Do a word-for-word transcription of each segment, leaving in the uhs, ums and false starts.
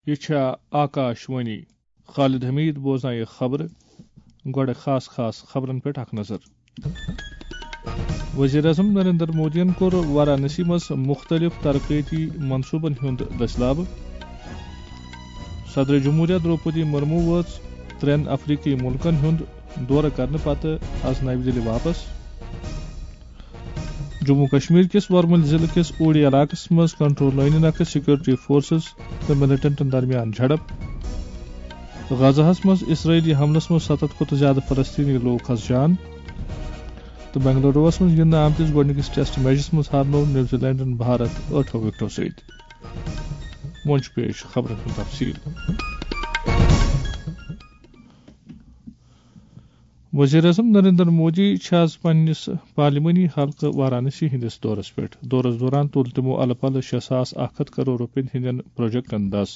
یہِ چھا آکاش وانی۔ خالد حمید بوزنایہِ خبرٕ۔ گۄڈٕ خاص خاص خبرن پٮ۪ٹھ اکھ نظر۔ وزیر اعظم نریندر مودیَن کوٚر وارانسی منٛز مُختٔلِف ترقیتی منصوٗبن ہُنٛد دٔسۍ لابہٕ۔ صدر جمہوریہ درٛوپدی مرمو وٲژ ترٛٮ۪ن افریقی مُلکن ہُنٛد دورٕ کرنہٕ پتہٕ از نَوِ دِلہِ واپس۔ جموں کشمیر کِس ورمُل ضلعہٕ کِس اوڑی علاقس منٛز کنٹرول لٲنہِ نکھٕ سیکورٹی فورسز تہٕ ملیٹنٹن درمیان جھڑپ۔ غزہس منٛز اسرائیلی حملس منٛز ستتھ کھۄتہٕ زیادٕ فلسطینی لوٗکھ کھس جان۔ تہٕ بنگلوروَس منٛز گِنٛدنہٕ آمتِس گۄڈٕنِکِس ٹیسٹ میچس منٛز ہارنوو نیوزی لینڈن بھارت ٲٹھو وِکٹو سۭتۍ۔ وۄنۍ چھُ پیش خبرن ہُنٛد تفصیل۔ وزیر اعظم نریندر مودی چھِ آز پننِس پارلیمانی حلقہٕ وارانسی ہٕنٛدِس دورس پٮ۪ٹھ۔ دورس دوران تُل تِمو الہٕ پلہٕ شےٚ ساس اکھ ہتھ کرور رۄپین ہٕنٛدٮ۪ن پروجیکٹن دَس۔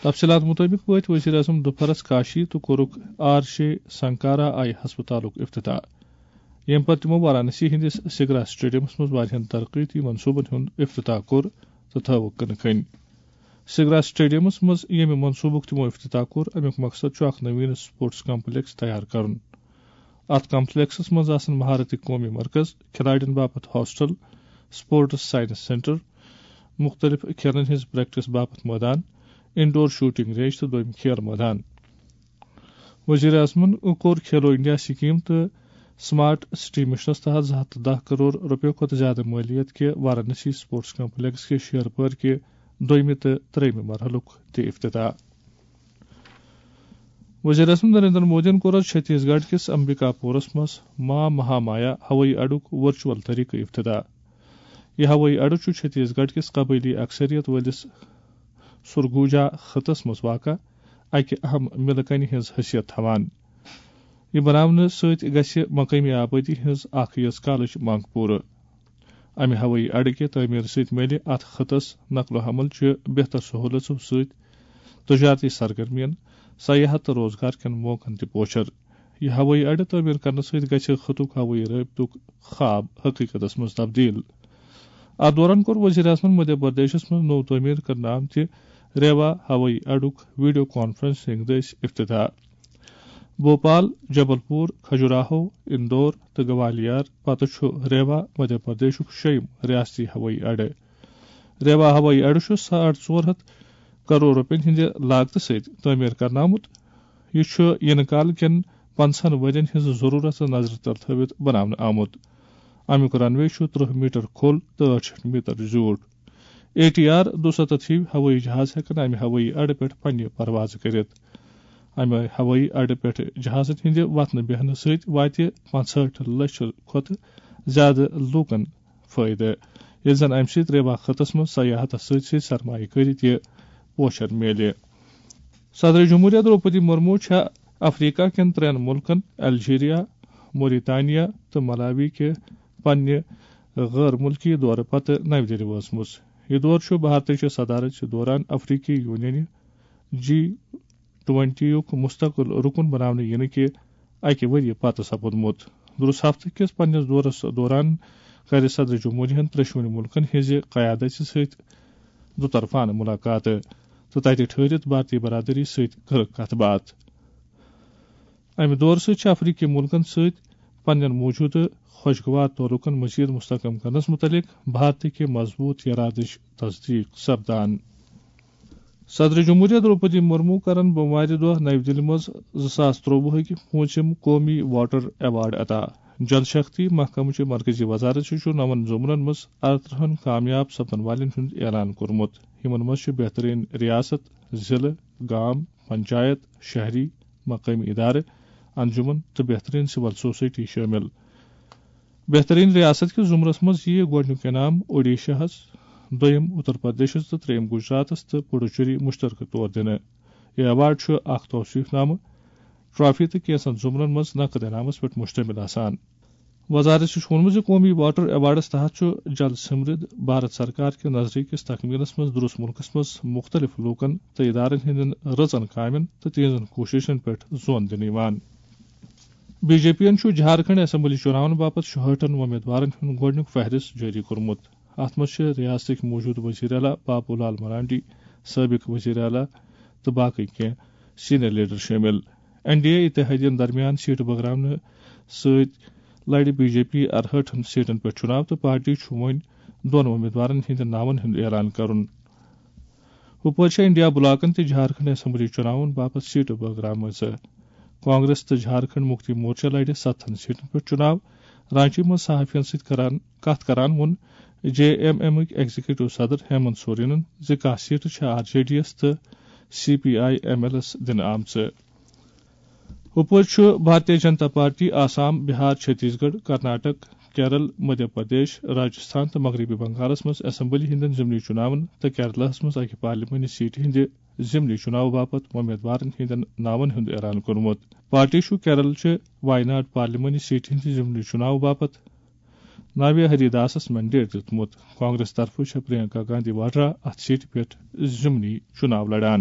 تفصیلات مُطٲبِق وٲتۍ وزیر اعظم دُپہرس کاشی تہٕ کوٚرُکھ آر شے سنکارا آی ہسپتالُک افتتاح، ییٚمہِ پتہٕ تِمو وارانسی ہٕنٛدِس سگرا سٹیڈیمس منٛز واریاہن ترقیتی منصوٗبن ہُنٛد افتتاح کوٚر تہٕ تھٲوٕکھ کٕنہٕ کٕنۍ۔ سگرا سٹیڈیمس منٛز ییٚمہِ منصوٗبُک تِمو افتتاح کوٚر، اَمیُک مقصد چھُ اکھ نویٖن سپورٹس کمپلیکس تیار کرُن۔ اتھ کمپلیکسس منٛز آسن مہارتی قومی مرکز، کھلاڑین باپتھ ہاسٹل، سپورٹس سائنس سینٹر، مُختٔلِف کھیلن ہٕنٛز پریکٹس باپتھ مٲدان، انڈور شوٹنگ رینج تہٕ دوٚیِم کھیل مٲدان۔ وزیر اعظمن کوٚر کھیلو انڈیا سکیم تہٕ سمارٹ سٹی مشنس تحت زٕ ہتھ تہٕ دَہ کرور رۄپیو کھۄتہٕ زیادٕ مٲلیت کہِ وارانسی سپورٹس کمپلیکس کہِ شیر پٲر کہِ دوٚیمہِ تہٕ ترٛیٚیمہِ مرحلُک تہِ افتتاح۔ وزیر اعظم نریندر مودیَن کوٚر آز چھتیس گڑھ کِس امبکا پورس منٛز ماں مہامایا ہوٲیی اڈُک ورچوئل طریقہٕ افتتاح۔ یہِ ہوٲیی اڈٕ چھُ چھتیس گڑھ کِس قبٲیلی اکثریت وٲلِس سرگوجا خطس منٛز واقع اکہِ اہم مِلہٕ کنہِ ہٕنٛز حیثیت تھاوان۔ یہِ بناونہٕ سۭتۍ گژھِ مقٲمی آبٲدی ہٕنٛز اکھ یٔژ کالٕچ منٛگ پوٗرٕ۔ امہِ ہوٲیی اڈٕ کہِ تعمیٖر سۭتۍ میلہِ اتھ خطس نقل و حمل چہِ بہتر سہولژو سۭتۍ تجارتی سرگرمین، سیاحت تہٕ روزگار کٮ۪ن موقعن تہِ پوچھر۔ یہِ ہوٲیی اڈٕ تعمیٖر کرنہٕ سۭتۍ گژھِ خطُک ہوٲیی رٲبطُک خواب حقیقتس منٛز تبدیل۔ اتھ دوران کوٚر وزیر اعظمن مدھیہ پردیشس منٛز نوٚو تعمیٖر کرنہٕ آمتہِ ریوا ہوٲیی اڈُک ویڈیو کانفرنسنگ دٔسۍ افتتاح۔ بھوپال، جبل پور، کھجوراہو، اندور تہٕ گوالیار پتہٕ چھُ ریوا مدھیہ پردیشُک شیٚیِم ریاستی ہوٲیی اڈٕ۔ ریوا ہوٲیی اڈٕ چھُ ساڑ ژور ہتھ کرور رۄپین ہٕنٛدِ لاگتہٕ سۭتۍ تعمیٖر کرنہٕ آمُت۔ یہِ چھُ یِنہٕ کال کٮ۪ن پنٛژاہن ؤرین ہٕنٛز ضروٗرت نظرِ تل تھٲوِتھ بناونہٕ آمُت۔ امیُک رن وے چھُ ترٕٛہ میٹر کھوٚل تہٕ ٲٹھ شیٚتھ میٹر زیوٗٹھ۔ اے ٹی آر دُسَتتھ ہِوۍ ہوٲیی جہاز ہٮ۪کن امہِ ہوٲیی اڈٕ پٮ۪ٹھ پننہِ پرواز کٔرِتھ۔ امہِ ہوٲیی اڈٕ پٮ۪ٹھ جہازن ہٕنٛدِ وتھنہٕ بیہنہٕ سۭتۍ واتہِ پانٛژہٲٹھ لچھ کھۄتہٕ زیادٕ لوٗکن فٲیدٕ، ییٚلہِ زن امہِ سۭتۍ ریوا خطس منٛز سیاحتس سۭتۍ سۭتۍ سرمایہ کٲری تہِ پوشن میلہِ۔ صدر جمہوریہ درٛوپدی مرمو چھےٚ افریقہ کٮ۪ن ترٛٮ۪ن مُلکن الجیریا، موریتانیا تہٕ ملاوی کہِ پننہِ غٲر مُلکی دورٕ پتہٕ نَوِ دِلہِ وٲژمٕژ۔ یہِ دورٕ چھُ بھارتٕچہِ صدارت دوران افریقی یونینہِ جی ٹُوَنٹی یُک مستقل رُکُن بناونہٕ یِنہٕ کہِ اکہِ ؤریہِ پتہٕ سپُدمُت۔ درُس ہفتہٕ کِس پننِس دورس دوران کرِ صدر جمہوریہن ترٛیٚشوٕنی مُلکن ہٕنٛزِ قیادژِ سۭتۍ دُطرفانہٕ مُلاقاتہٕ تہٕ تتہِ ٹھٔہرِتھ بھارتی برادری سۭتۍ کٔرٕکھ کتھ باتھ۔ امہِ دورٕ سۭتۍ چھِ افریقی مُلکن سۭتۍ پننٮ۪ن موجودٕ خوشگوار تعلقن مزید مستحکم کرنس متعلق بھارتٕکہِ مضبوط ارادٕچ تصدیق سپدان۔ صدر جمہوریہ درٛوپدی مرمو کرن بوموارِ دۄہ نَوِ دِلہِ منٛز زٕ ساس ترٛۆوُہٕکۍ پوٗنٛژِم قومی واٹر ایوارڈ عطا۔ جل شکتی محکمہٕ چہِ مرکزی وزارت چھُ نَوَن زُمرن منٛز اَرترٕٛہَن کامیاب سپدن والٮ۪ن ہُنٛد اعلان کوٚرمُت۔ یِمن منٛز چھِ بہتریٖن ریاست، ضلعہٕ، گام، پنچایت، شہری، مقٲمی ادارٕ، انجمن تہٕ بہتریٖن سول سوسائٹی شٲمِل۔ بہتریٖن ریاست کِس زُمرس منٛز یِیہِ گۄڈٕنیُک انعام اوڈیشاہس، دوٚیِم اتر پردیشس تہٕ ترٛیٚیِم گجراتس تہٕ پڈوچیری مشترکہٕ طور دِنہٕ۔ یہِ ایوارڈ چھُ اکھ توثیق نامہٕ، ٹرافی تہٕ کینٛژن زُمرن منٛز نقد انعامس پٮ۪ٹھ مشتمل آسان۔ وزارت چھُ ووٚنمُت زِ قومی واٹر ایوارڈس تحت چھُ جل سمردھ بھارت سرکار کہِ نظریہ کِس تکمیلس منٛز درُس مُلکس منٛز مُختٔلِف لوٗکن تہٕ ادارن ہٕنٛدٮ۪ن رٕژن کامٮ۪ن تہٕ تِہنٛزن کوٗششن پٮ۪ٹھ زون دِنہٕ یِوان۔ بی جے پی یَن چھُ جھارکھنڈ اسمبلی چُناون باپتھ شُہٲٹھن وۄمیدوارن ہُنٛد گۄڈٕنیُک فہرست جٲری کوٚرمُت۔ اَتھ منٛز چھِ ریاستٕکۍ موٗجوٗدٕ وزیر اعلیٰ باپو لال مرانڈی، سٲبِق وزیر اعلیٰ تہٕ باقٕے کینٛہہ سینئر لیڈر شٲمِل۔ این ڈی اے اتحادین درمیان سیٹہٕ بٲگراونہٕ سۭتۍ لڑِ بی جے پی ارہٲٹھن سیٹن پٮ۪ٹھ چُناو تہٕ پارٹی چھُ وۄنۍ دۄن امیدوارن ہٕنٛدٮ۪ن ناون ہُنٛد اعلان کرُن۔ ہُپٲرۍ چھےٚ انڈیا بلاکن تہِ جھارکھنڈ اسمبلی چُناون باپتھ سیٹہٕ بٲگراومژٕ۔ کانگریس تہٕ جھارکھنڈ مکتی مورچہ لڑِ ستتھن سیٹن پٮ۪ٹھ چُناو۔ رانچی منٛز صحافین سۭتۍ کران، کتھ کران ووٚن جے ایم ایمٕکۍ ایگزیکٹو صدر ہیمنت سورینن زِ کاہ سیٹہٕ چھےٚ آر جے ڈی ایس تہٕ C P I M L ایس دِنہٕ آمژٕ۔ ہُپٲرۍ چھُ بھارتیہ جنتا پارٹی آسام، بہار، چھتیس گڑھ، کرناٹک، کیرل، مدھیہ پردیش، راجستھان تہٕ مغربی بنگالس منٛز اسمبلی ہٕنٛدٮ۪ن ضمنی چُناون تہٕ کیرلہس منٛز اکہِ پارلیمانی سیٹہِ ہٕنٛدِ ضمنی چُناو باپتھ امیدوارن ہٕنٛدٮ۪ن ناون ہُنٛد اعلان کوٚرمُت۔ پارٹی چھُ کیرل چہِ وایناڈ پارلیمانی سیٹہِ ہٕنٛدِ ضمنی چُناو باپتھ ناویہ ہری داسس مینڈیٹ دیُتمُت۔ کانگریس طرفہٕ چھےٚ پرینکا گاندھی واڈرا اتھ سیٹہِ پٮ۪ٹھ ضمنی چُناو لڑان۔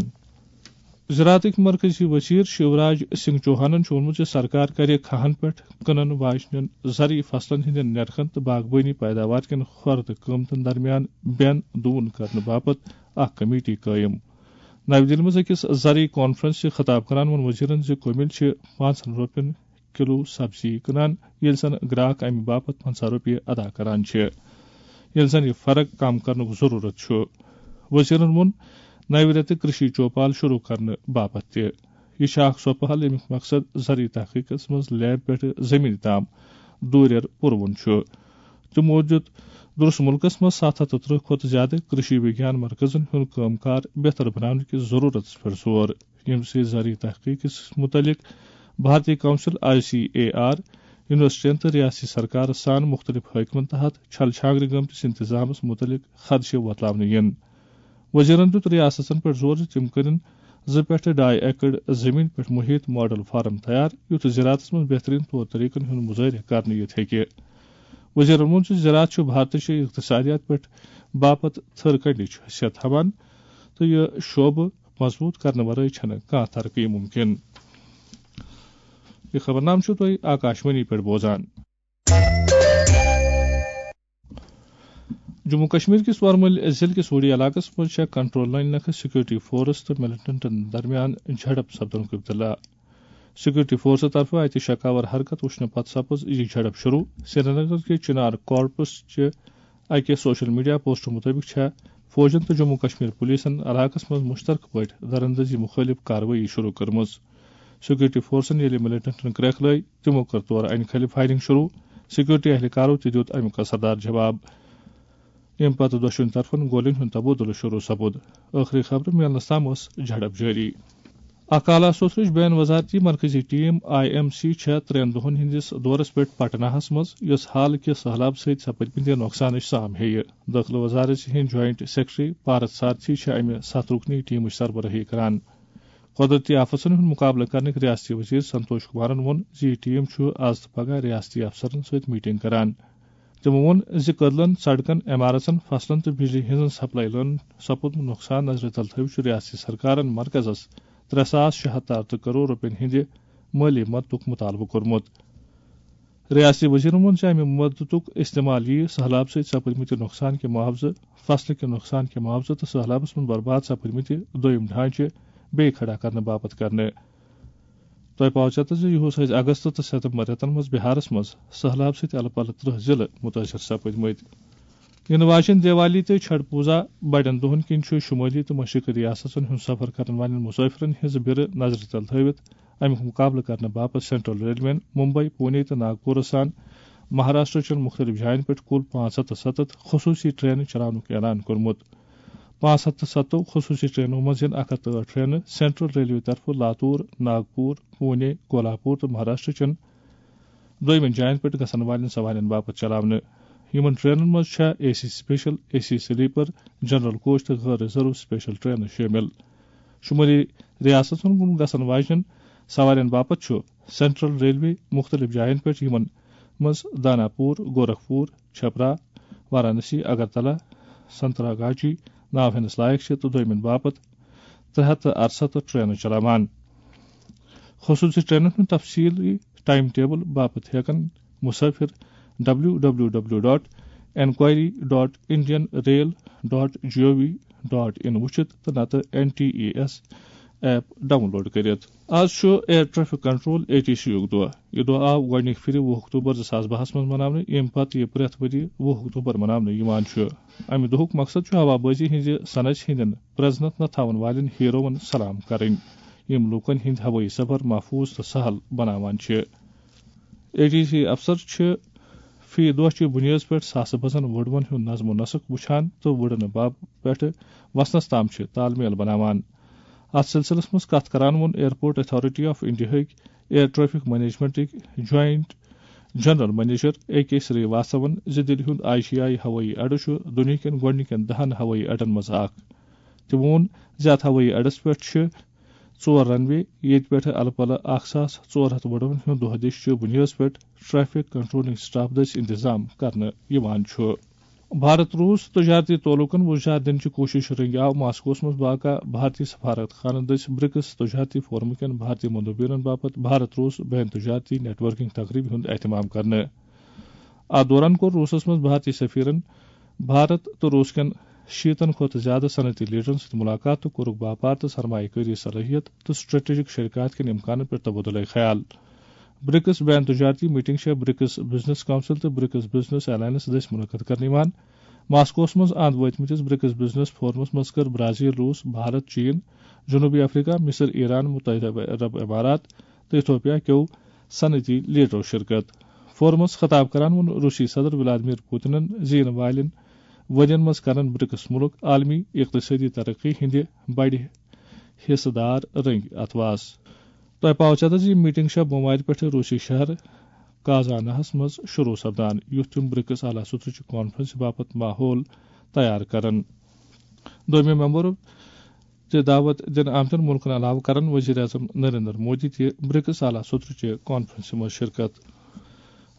زراعتٕکۍ مرکزی وزیر شیوراج سنگھ چوہانن چھُ ووٚنمُت زِ سرکار کرِ کھاہن پٮ۪ٹھ کٕنن واجنٮ۪ن زرعی فصلن ہٕنٛدٮ۪ن نرخن تہٕ باغبٲنی پیداوار کٮ۪ن خوردٕ قۭمتن درمیان بین دوٗن کرنہٕ باپتھ اکھ کمیٹی قٲیِم۔ نَوِ دِلہِ منٛز أکِس زرعی کانفرنس چھِ خطاب کران ووٚن وزیرن زِ کٔمِل چھِ پانٛژن رۄپین کلو سبزی کٕنان، ییٚلہِ زن گراک امہِ باپتھ پنٛژاہ رۄپیہِ ادا کران چھِ، ییٚلہِ زن یہِ فرق کم کرنُک ضروٗرت چھُ۔ وزیرن ووٚن نَوِ رٮ۪تہٕ کرشی چوپال شروع کرنہٕ باپتھ تہِ۔ یہِ چھِ اکھ سۄ پہل، ییٚمیُک مقصد زرعی تحقیقس منٛز لیب پٮ۪ٹھٕ زمین تام دوٗرٮ۪ر پُروُن چھُ۔ تِمو دیُت درس مُلکس منٛز ستھ ہتھ تہٕ ترٕٛہ کھۄتہٕ زیادٕ کرشی وگیان مرکزن ہُنٛد کٲم کار بہتر بناونہٕ کِس ضروٗرتس پٮ۪ٹھ زور، ییٚمہِ سۭتۍ زرعی تحقیقس مُتعلق بھارتی council, I C A R, یونیورسٹین تہٕ ریاستی سرکارس سان مُختٔلِف حٲکمن تحت چھل چھانگرِ گٲمتِس انتظامس مُتعلق خدشہٕ وۄتلاونہٕ یِن۔ وزیرن دیُت ریاستن پٮ۪ٹھ زور زِ تِم کٔرِن زٕ پٮ۪ٹھٕ ڈاے ایکڑ زمین پٮ۪ٹھ محیط ماڈل فارم تیار، یُتھ زراعتس منٛز بہترین طور طریقن ہُنٛد مظٲہرٕ کرنہٕ یِتھ ہیٚکہِ۔ وزیرن ووٚن زِ زراعت چھُ بھارتٕچ اقتصادیات پٮ۪ٹھ باپتھ تھٔر کنڈِچ حیثیت تھاوان تہٕ یہِ شعبہٕ مضبوط کرنہٕ ورٲے چھنہٕ کانٛہہ ترقی ممکن۔ یہِ خبرنامہٕ چھِو تُہۍ آکاشوانی پٮ۪ٹھ بوزان۔ جموں کشمیر کِس ورمُلۍ ضلعہٕ کِس وُڑی علاقس منٛز چھےٚ کنٹرول لائن نکھٕ سیکورٹی فورس تہٕ ملیٹنٹن درمیان جھڑپ سپدنُک اطلاع۔ سیکورٹی فورسہٕ طرفہٕ اَتہِ شکاور حرکت وُچھنہٕ پتہٕ سپٕز یہِ جھڑپ شروع۔ سرینگر کِس چنار کارپس چہِ اَکہِ سوشل میڈیا پوسٹ مُطٲبِق چھےٚ فوجن تہٕ جموں کشمیر پُلیٖسن علاقس منٛز مُشترکہٕ پٲٹھۍ دراندازی مُخٲلِف کاروٲیی شروع کٔرمٕژ۔ سیکورٹی فورسن ییٚلہِ ملیٹنٹن کرٛیکھ لٲے، تِمو کٔر تورٕ اَنہِ کھلہِ فائرنگ شروع۔ سیکورٹی اہلکارو تہِ دیُت اَمیُک اثردار جواب۔ ییٚمہِ پتہٕ دۄشوٕنی طرفن گولین ہُنٛد تبادلہٕ شروع سپُد۔ ٲخری خبرٕ میلنس تام ٲس جھڑپ جٲری۔ اکالا سوتھرٕچ بین وزارتی مرکزی ٹیم آئی ایم سی چھےٚ ترٛٮ۪ن دۄہن ہٕنٛدِس دورس پٮ۪ٹھ پٹناہس منٛز، یۄس حال کہِ سٔہلاب سۭتۍ سپٕدمٕتہِ نۄقصانٕچ سام ہیٚیہِ۔ دٲخلہٕ وزارت ہٕنٛدۍ جوائنٹ سیکرٹری پارتھ سارتھی چھےٚ امہِ ستھ رُکنی ٹیمٕچ سربرٲہی کران۔ قۄدرتی آفتن ہُنٛد مُقابلہٕ کرنٕکۍ ریاستی وزیر سنتوش کمارن ووٚن زِ یہِ ٹیم چھُ از تہٕ پگاہ ریاستی افسرن سۭتۍ میٹنگ کران۔ تِمو ووٚن زِ کٔدلن، سڑکن، عمارژن، فصلن تہٕ بجلی ہٕنٛزن سپلائی لٲنن سپُدمُت نۄقصان نظرِ تل تھٲوِتھ چھُ ریاستی سرکارن مرکزس ترٛےٚ ساس شےٚ ہتھ تہٕ اَرترٛہ کرور رۄپین ہٕنٛدِ مٲلی مددُک مُطالبہٕ کوٚرمُت۔ ریاستی وزیرن ووٚن زِ امہِ مددُک استعمال یِیہِ سٔہلاب سۭتۍ سپٕدمٕتہِ نۄقصان کہِ معاوضہٕ، فصلہٕ کہِ نۄقصان کہِ معاوضہٕ تہٕ سٔہلابس منٛز برباد سپٕدمٕتہِ دوٚیِم ڈھانچہٕ بیٚیہِ کھڑا کرنہٕ باپتھ کرنہٕ۔ تۄہہِ پاوٕ چتس زِ یِہُس ٲسۍ اگست تہٕ ستمبر رٮ۪تن منٛز بہارس منٛز سٔہلاب سۭتۍ الہٕ پلہٕ ترٕٛہ ضلعہٕ مُتٲثر سپٕدمٕتۍ۔ یِنہٕ واجٮ۪ن دیوالی تہٕ چھٹھ پوٗزا بڑٮ۪ن دۄہن کِنۍ چھُ شُمٲلی تہٕ مشرقی ریاستن ہُنٛد سفر کرن والٮ۪ن مسافرن ہٕنٛز بِرٕ نظرِ تل تھٲوِتھ اَمیُک مُقابلہٕ کرنہٕ باپتھ سینٹرل ریلویَن ممبئی، پونے تہٕ ناگپورَس سان مہاراشٹرٕچٮ۪ن مُختٔلِف جاین پٮ۪ٹھ کُل پانٛژھ ہَتھ تہٕ سَتَتھ خصوٗصی ٹرینہٕ چلاونُک اعلان کوٚرمُت۔ پانٛژھ ہَتھ تہٕ سَتَتھ خصوٗصی ٹرینو منٛز یِن اَکھ ہَتھ تہٕ ٲٹھ ٹرینہٕ سینٹرل ریلوے طرفہٕ لاتور، ناگپور، پونے، کولہاپور تہٕ مہاراشٹرٕچٮ۪ن دوٚیمٮ۪ن جاین پٮ۪ٹھ گژھن والٮ۪ن سوارٮ۪ن باپتھ چلاونہٕ۔ یِمن ٹرینن منٛز چھےٚ A C special, A C sleeper, general coach تہٕ غٲر ریزرو سپیشل ٹرینہٕ شٲمِل۔ شُمٲلی ریاستن کُن گژھن واجٮ۪ن سوارٮ۪ن باپتھ چھُ سینٹرل ریلوے مُختٔلِف جاین پٮ۪ٹھ، یِمن منٛز داناپور، گورکھپور، چھپرا، وارانسی، اگرتلہ، سنتراگاچی ناو ہینس لایق چھِ، تہٕ دوٚیمٮ۪ن باپتھ ترٛےٚ ہَتھ تہٕ اَرسَتتھ ٹرینہٕ چلاوان۔ خصوٗصی ٹرینن ہُنٛد تفصیٖلی ٹائم ٹیبل باپتھ ہٮ۪کن مسافر W W W dot enquiry dot indian rail dot gov dot in وٕچھِتھ تہٕ نتہٕ N T E S app download کٔرِتھ۔ آز چھُ air traffic control A T C یُک دۄہ۔ یہِ دۄہ آو گۄڈٕنِکہِ پھِرِ وُہ اکتوبر زٕ ساس بَہَس منٛز مناونہٕ، ییٚمہِ پتہٕ یہِ پرٛٮ۪تھ ؤرۍ یہِ وُہ اکتوبر مناونہٕ یِوان چھُ۔ اَمہِ دۄہُک مقصد چھُ ہوابازی ہٕنٛزِ صنعتہِ ہٕنٛدٮ۪ن پرٛزنت نہ تھاوَن والٮ۪ن ہیرووَن سلام کرٕنۍ، یِم لوٗکَن ہٕنٛدۍ ہوٲیی سفر محفوظ تہٕ سہل بناوان چھِ۔ اے ٹی سی افسر چھِ فی دۄہ چہِ بُنیٲدِ پٮ۪ٹھ ساسہٕ بٔزن وُڑوَن ہُنٛد نظم و نسق وُچھان تہٕ وُڑنہٕ باب پٮ۪ٹھٕ وسنس تام چھِ تال میل بناوان۔ اتھ سلسلس منٛز کتھ کران ووٚن ایئرپورٹ اتھارٹی آف انڈیاہٕکۍ ایئر ٹریفک مینجمنٹٕکۍ joint general manager A K سری واسوَن زِ دِلہِ ہُنٛد آئی جی آئی ہوٲیی اڈٕ چھُ دُنیاہ کٮ۪ن گۄڈٕنِکٮ۪ن دَہَن ہوٲیی اڈن منٛز اکھ۔ تٔمۍ ووٚن زِ اتھ ہوٲیی اڈس پٮ۪ٹھ چھِ ژور رن وے، ییٚتہِ پٮ۪ٹھٕ الہٕ پلہٕ اکھ ساس ژور ہتھ وُڑوَن ہُنٛد دۄہ دِش چہِ بُنیٲدِ پٮ۪ٹھ ٹریفک کنٹرولنگ سٹاف دٔسۍ انتظام کرنہٕ یِوان چھُ۔ بھارت روٗس تجارتی تعلقن وُزار دِنٕچ کوٗشش رٔنگۍ آو ماسکوس منٛز واقع بھارتی سفارت خانہٕ دٔسۍ برکس تجارتی فورم کٮ۪ن بھارتی مندوبیرن باپتھ بھارت روٗس بین تجارتی نیٹ ورکنگ تقریبہِ ہُنٛد اہتمام کرنہٕ۔ اتھ دوران کوٚر روٗسس منٛز بھارتی سفیرن بھارت تہٕ روٗس کٮ۪ن شیٖتن کھۄتہٕ زیادٕ صنعتی لیڈرن سۭتۍ مُلاقات تہٕ کوٚرُکھ باپار تہٕ سرمایہ کٲری صلٲحیت تہٕ سٹریٹجک شراکت کٮ۪ن امکانن پٮ۪ٹھ تبادلہ خیال۔ برکس بین تجارتی میٹنگ چھےٚ برکس بزنس کونسل تہٕ برکس بزنس الائنس دٔسۍ منعقد کرنہٕ یِوان۔ ماسکوس منٛز اند وٲتمٕتِس برکس بزنس فورمس منٛز کٔر برازیل، روٗس، بھارت، چین، جنوبی افریقہ، مصر، ایران، متحدہ عرب امارات تہٕ ایتھوپیا کیو صنعتی لیڈرو شرکت۔ فورمس خطاب کران ووٚن روٗسی صدر ولادمیر پوتنن زِ یِنہٕ والٮ۪ن ؤرین منٛز کرن برکس مُلک عالمی اقتصٲدی ترقی ہٕنٛدِ بڑِ حصہٕ دار رٔنگۍ اتھواس۔ تۄہہِ پاوٕ چتس، یہِ میٹنگ چھےٚ بوموارِ پٮ۪ٹھٕ روٗسی شہر کازانہس منٛز شروع سپدان، یُتھ تِم برکس اعلیٰ سطحٕچہِ کانفرنسہِ باپتھ ماحول تیار کرن۔ دوٚیمہِ ممبرو تہِ دعوت دِنہٕ آمتٮ۪ن مُلکن علاوٕ کرن وزیر اعظم نریندر مودی تہِ برکس اعلیٰ سطحٕچہِ کانفرنسہِ منٛز شرکت۔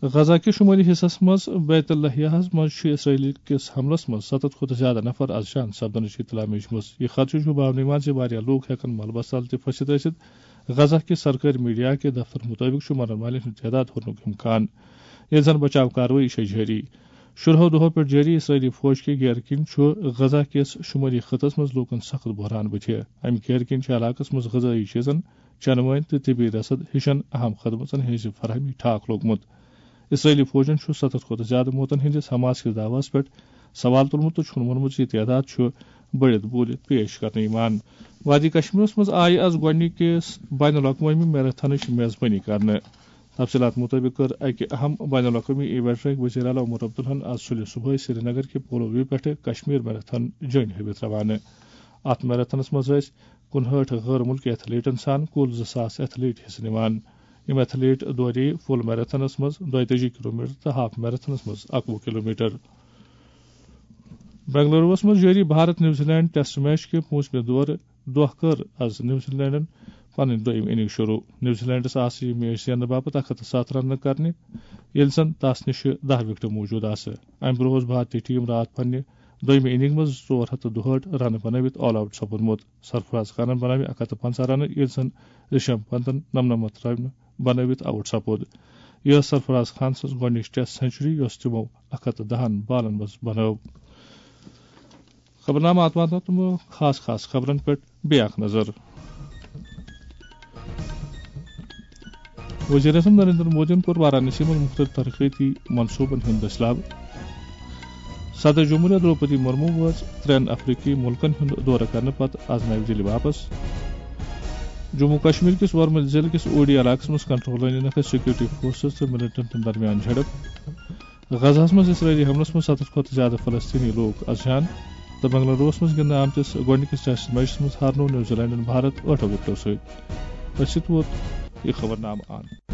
غزہ کِس شمٲلی حصس منٛز بیت اللحیہس منٛز چھِ اسرائیل کِس حملس منٛز ستتھ کھۄتہٕ زیادٕ نفر از جان سپدنٕچ اطلاع میجمٕژ۔ یہِ خدشہٕ چھُ باونہٕ یِوان زِ واریاہ لوٗکھ ہٮ۪کن ملبس تل تہِ پھٔسِتھ ٲسِتھ۔ غزہ کِس سرکٲرۍ میڈیا کہِ دفتر مُطٲبِق چھُ مرن والٮ۪ن ہُنٛد تعداد ہُرنُک امکان، ییٚلہِ زن بچاو کاروٲیی چھےٚ جٲری۔ شُرہو دۄہو پٮ۪ٹھ جٲری اسرائیلی فوج کہِ گیرٕ کِنۍ چھُ غزہ کِس شمٲلی خطس منٛز لوٗکن سخت بحران بُتھِ۔ امہِ گیرٕ کِنۍ چھِ علاقس منٛز غذٲیی چیٖزن، چنہٕ وٲنۍ تہٕ طبی رسد ہِشن اہم خدمژن ہٕنٛزِ فراہمی ٹھاک لوٚگمُت۔ اسرائیلی فوجن چھُ ستتھ کھۄتہٕ زیادٕ موتن ہٕنٛدِس حماس کِس دعوس پٮ۪ٹھ سوال تُلمُت تہٕ چھُن ووٚنمُت زِ یہِ تعداد چھُ بٔڑِتھ بوٗلِتھ پیش کرنہٕ یِوان۔ وادی کشمیرس منٛز آیہِ از گۄڈٕنِکِس بین الاقوٲمی میراتھنٕچ میزبٲنی کرنہٕ۔ تفصیلات مُطٲبِق کٔر اَکہِ اہم بین الاقوٲمی ایونٹ رنگۍ وزیر اعلیٰ عمر عبداللہن آز سُلہِ صبحٲے سری نگر کہِ پولو وے پٮ۪ٹھٕ کشمیر میراتھن جٲنۍ ہٲوِتھ روانہٕ۔ اَتھ میراتھنس منٛز ٲسۍ کُنہٲٹھ غٲر مُلکی ایتھلیٹن سان کُل زٕ ساس ایتھلیٹ حصہٕ نِوان۔ یِم ایتھلیٹ دورے فُل میراتھنس منٛز دۄیتٲجی کلومیٹر تہٕ ہاف میراتھنس منٛز اَکوُہ کلومیٹر۔ بنگلوروَس منٛز جٲری Bharat New Zealand test match کہِ پوٗنٛژمہِ دورٕ دۄہ کٔر از نیوزی لینڈن پنٕنۍ دوٚیِم اننگ شروع۔ نیوزی لینڈس آسہٕ یہِ میچ زیننہٕ باپتھ اکھ ہتھ تہٕ ستھ رنہٕ کرنہِ، ییٚلہِ زن تس نِش دَہ وِکٹہٕ موٗجوٗد آسہٕ۔ امہِ برٛونٛہہ اوس بھارتی ٹیم راتھ پننہِ دوٚیمہِ اننگ منٛز ژور ہتھ تہٕ دُہٲٹھ رنہٕ بنٲوِتھ آل آوٹ سپُدمُت۔ سرفراز خانن بناوِ اکھ ہتھ تہٕ پنٛژاہ رنہٕ، ییٚلہِ زن رشب پنتن نَمنَمَتھ رنہٕ بنٲوِتھ آوٹ سپُد۔ یہِ ٲس سرفراز خان سٕنٛز گۄڈٕنِچ ٹیسٹ سینچری، یۄس تِمو اکھ ہتھ تہٕ دَہَن بالن منٛز بنٲو۔ خبرنامہٕ اتھ واتنو تِمو خاص خاص خبرن پٮ۪ٹھ بیٚیہِ اکھ نظر۔ وزیر اعظم نریندر مودیَن کوٚر وارانسی منٛز مُختٔلِف ترقیتی منصوبن ہُنٛد دٔسۍ لاب۔ صدر جمہوریہ درٛوپدی مرمو وٲژ ترٛٮ۪ن افریقی مُلکن ہُنٛد دورٕ کرنہٕ پتہٕ از نَوِ دِلہِ واپس۔ جموں کشمیر کِس ورمُل ضلعہٕ کِس اوڈی علاقس منٛز کنٹرول لٲنہِ نکھٕ سیکورٹی فورسز تہٕ ملیٹنٹن درمیان جھڑپ۔ غزہَس منٛز اسرائیلی حملس منٛز ستتھ کھۄتہٕ زیادٕ فلسطینی لوٗکھ از جان تہٕ بنگلوروَس منٛز گِنٛدنہٕ آمتِس گۄڈٕنِکِس ٹیسٹ میچس منٛز ہارنوو نیوزی لینڈن بھارت ٲٹھو وِکٹو سۭتۍ۔ أتھۍ سۭتۍ ووت یہِ خبرنامہٕ اند۔